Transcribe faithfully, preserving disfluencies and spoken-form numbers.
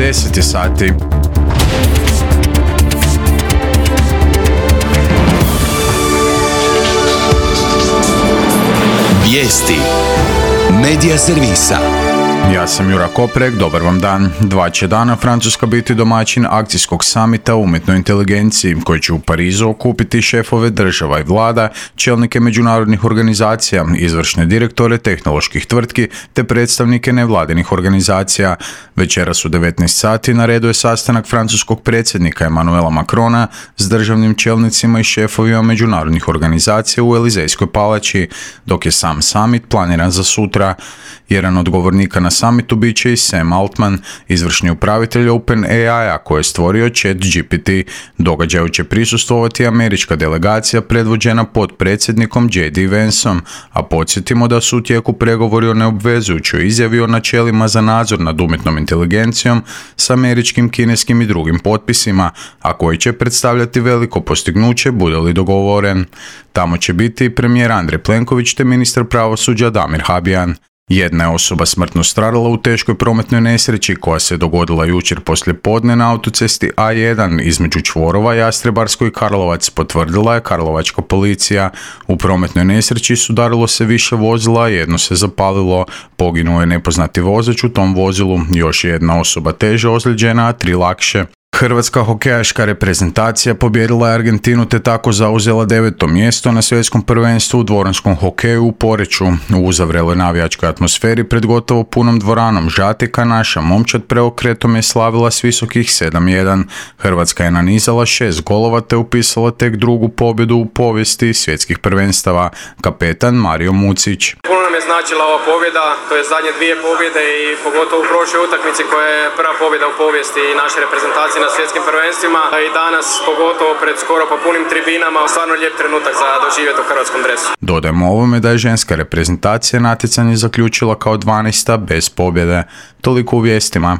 deset je sati. Vijesti Medija servisa. Ja sam Jura Koprek, dobar vam dan. Dva će dana Francuska biti domaćin akcijskog samita o umjetnoj inteligenciji koji će u Parizu okupiti šefove država i vlada, čelnike međunarodnih organizacija, izvršne direktore tehnoloških tvrtki te predstavnike nevladinih organizacija. Večeras u devetnaest sati na redu je sastanak francuskog predsjednika Emmanuela Macrona s državnim čelnicima i šefovima međunarodnih organizacija u Elizejskoj palači, dok je sam summit planiran za sutra. Jedan od govornika na summitu bit će i Sam Altman, izvršni upravitelj OpenAI-a koji je stvorio ChatGPT. Događaju će prisustvovati američka delegacija predvođena potpredsjednikom J D Vanceom, a podsjetimo da su u tijeku pregovori o neobvezujućoj izjavi o načelima za nadzor nad umjetnom inteligencijom s američkim, kineskim i drugim potpisima, a koji će predstavljati veliko postignuće bude li dogovoren. Tamo će biti i premijer Andrej Plenković te ministar pravosuđa Damir Habijan. Jedna je osoba smrtno stradala u teškoj prometnoj nesreći koja se dogodila jučer poslije podne na autocesti A jedan između čvorova Jastrebarsko i Karlovac, potvrdila je karlovačka policija. U prometnoj nesreći sudarilo se više vozila, jedno se zapalilo, poginuo je nepoznati vozač u tom vozilu, još jedna osoba teže ozlijeđena, a tri lakše. Hrvatska hokejaška reprezentacija pobijedila je Argentinu te tako zauzela deveto mjesto na svjetskom prvenstvu u dvoranskom hokeju u Poreču. U uzavreloj navijačkoj atmosferi pred gotovo punom dvoranom Žatika naša momčad preokretom je slavila s visokih sedam jedan. Hrvatska je nanizala šest golova te upisala tek drugu pobjedu u povijesti svjetskih prvenstava. Kapetan Mario Mucić. Puno nam je značila ova pobjeda, to je zadnje dvije pobjede i pogotovo u prošloj utakmici koja je prva pobjeda u povijesti naše reprezentacije na svjetskim prvenstvima i danas pogotovo pred skoro pa punim tribinama, stvarno lijep trenutak za doživjeti u hrvatskom dresu. Dodajmo ovome da je ženska reprezentacija natjecanje zaključila kao dvanaesta bez pobjede. Toliko u vijestima.